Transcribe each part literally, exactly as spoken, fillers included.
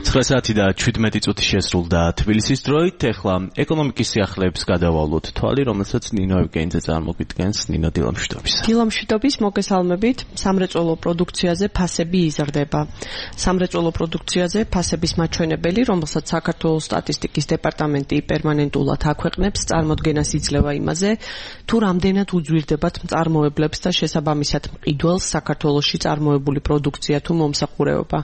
ცხრა საათი და შვიდმეტი წუთი შესრულდა თბილისის დროით. ეხლა ეკონომიკის სიახლეებს გადავალოთ თვალი, რომელსაც ნინო ევგენიძე წარმოგვიდგენს. ნინო, დილამშვიდობის. დილამშვიდობის, მოგესალმებით. სამრეწველო პროდუქციაზე ფასები იზრდება. სამრეწველო პროდუქციაზე ფასების მაჩვენებელი, რომელსაც საქართველოს სტატისტიკის დეპარტამენტი პერმანენტულად აქვეყნებს, წარმოდგენას იძლევა იმაზე, თუ რამდენად უძვირდებათ მწარმოებლებს და შესაბამისად მყიდველს საქართველოში წარმოებული პროდუქცია თუ მომსახურება.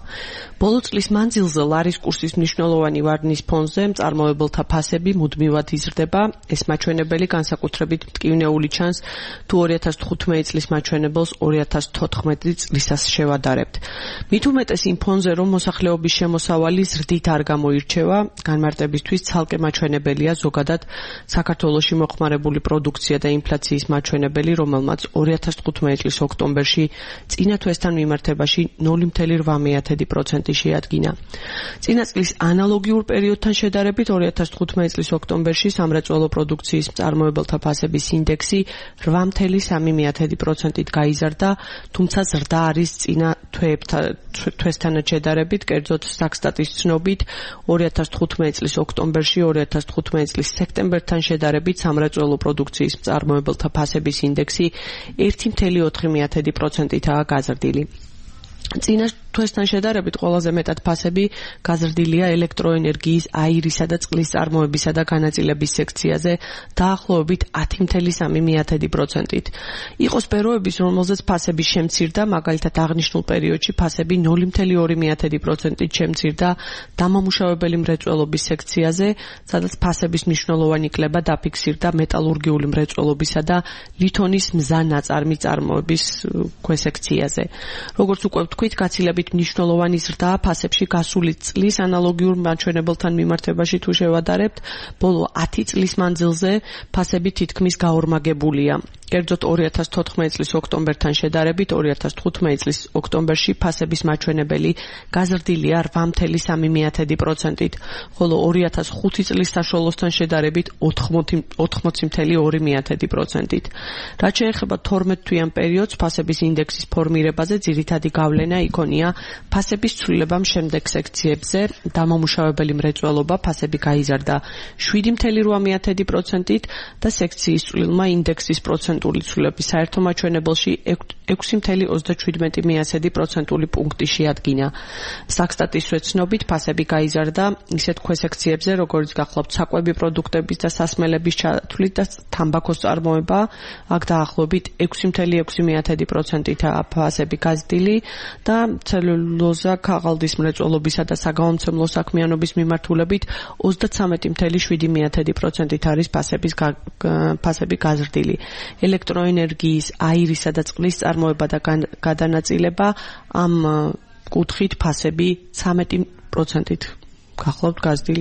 ბოლო წლის მანძილზე ლარის კურსის მნიშვნელოვანი ვარდნის ფონზე მწარმოებელთა ფასები მუდმივად იზრდება. ეს მაჩვენებელი განსაკუთრებით მტკივნეული ჩანს, თუ ორი ათას თხუთმეტი წლის მაჩვენებელს ორი ათას თოთხმეტი წლისას შევადარებთ. მით უმეტეს იმ ფონზე, რომ მოსახლეობის შემოსავალი ზრდით არ გამოირჩევა, განმარტებისთვის ცალკე მაჩვენებელია ზოგადად საქართველოში მოხმარებული პროდუქცია და ინფლაციის მაჩვენებელი, რომელმაც ორი ათას თხუთმეტი წლის ოქტომბერში წინა თვესთან მიმართებაში ნული ფاصლე რვა პროცენტი შეადგინა. წინა წლის ანალოგიურ პერიოდთან შედარებით ორი ათას თხუთმეტი წლის ოქტომბერში სამრეწველო პროდუქციის მწარმოებელთა ფასების ინდექსი რვა ფاصლე სამი პროცენტით გაიზარდა, თუმცა ზრდა არის წინა თვესთან შედარებით, კერძოდ სტატის ცნობით ორი ათას თხუთმეტი წლის ოქტომბერში ორი ათას თხუთმეტი წლის სექტემბერთან შედარებით სამრეწველო პროდუქციის მწარმოებელთა ფასების ინდექსი ერთი ფاصლე ოთხი პროცენტითაა გაზრდილი. წინა თვესთან შედარებით ყველაზე მეტად ფასები გაზრდილია ელექტროენერგიის, აირისა და წყლის წარმოებისა და განაწილების სექციაზე დაახლოებით ათი ფاصლე სამი პროცენტით. იყო სფეროების, რომელზეც ფასები შემცირდა, მაგალითად აღნიშნულ პერიოდში ფასები ნული ფاصლე ორი პროცენტით შემცირდა დამამუშავებელი მრეწველობის სექციაზე, სადაც ფასების მნიშვნელოვანი კლება დაფიქსირდა მეტალურგიული მრეწველობისა და ლითონის მზა ნაწარმი წარმოების ქვესექციაზე. როგორც უკვე ვთქვით, გაცილებით მნიშვნელოვანი ზრდაა ფასებში გასული წლის ანალოგიურ მაჩვენებელთან მიმართებაში თუ შევადარებთ, ბოლო ათი წლის მანძილზე ფასები თითქმის გაორმაგებულია. კერძოდ ორი ათას თოთხმეტი წლის ოქტომბერთან შედარებით ორი ათას თხუთმეტი წლის ოქტომბერში ფასების მაჩვენებელი გაზრდილია რვა ფاصლე სამი პროცენტით, ხოლო ორი ათას ხუთი წლის საშუალოსთან შედარებით ოთხმოცი ფاصლე ორი პროცენტით. რაც შეეხება თორმეტ თვიან პერიოდს, ფასების ინდექსის ფორმირებაზე ძირითადი გავლენა იქონია ფასების ცვლილებამ შემდეგ სექციებზე. დამამუშავებელი მრეწველობა ფასები გაიზარდა შვიდი ფاصლე რვა პროცენტით და სექციის წვლილმა ინდექსის პროცენტული ცვლილების საერთო მაჩვენებელში ექვსი ფاصლე ოცდაშვიდი პროცენტული პუნქტი შეადგინა. სტატის ცნობით ფასები გაიზარდა ისეთ ქვესექციებზე, როგორც გახლავთ საკვები პროდუქტების და სასმელების ჩათვლით და თამბაქოს წარმოება, აქ დაახლოებით ექვსი ფاصლე ექვსი პროცენტითაა ფასები გაზრდილი და ცელულოზა, ქაღალდის მრეწველობისა და საგამომცემლო საქმიანობის მიმართულებით ოცდაცამეტი ფاصლე შვიდი პროცენტით არის ფასების ფასები გაზრდილი. ელექტროენერგიის, აირისა და წყლის წარმოება და გადანაწილება ამ კუთხით ფასები ცამეტი პროცენტით გახლავთ გაზრდილი.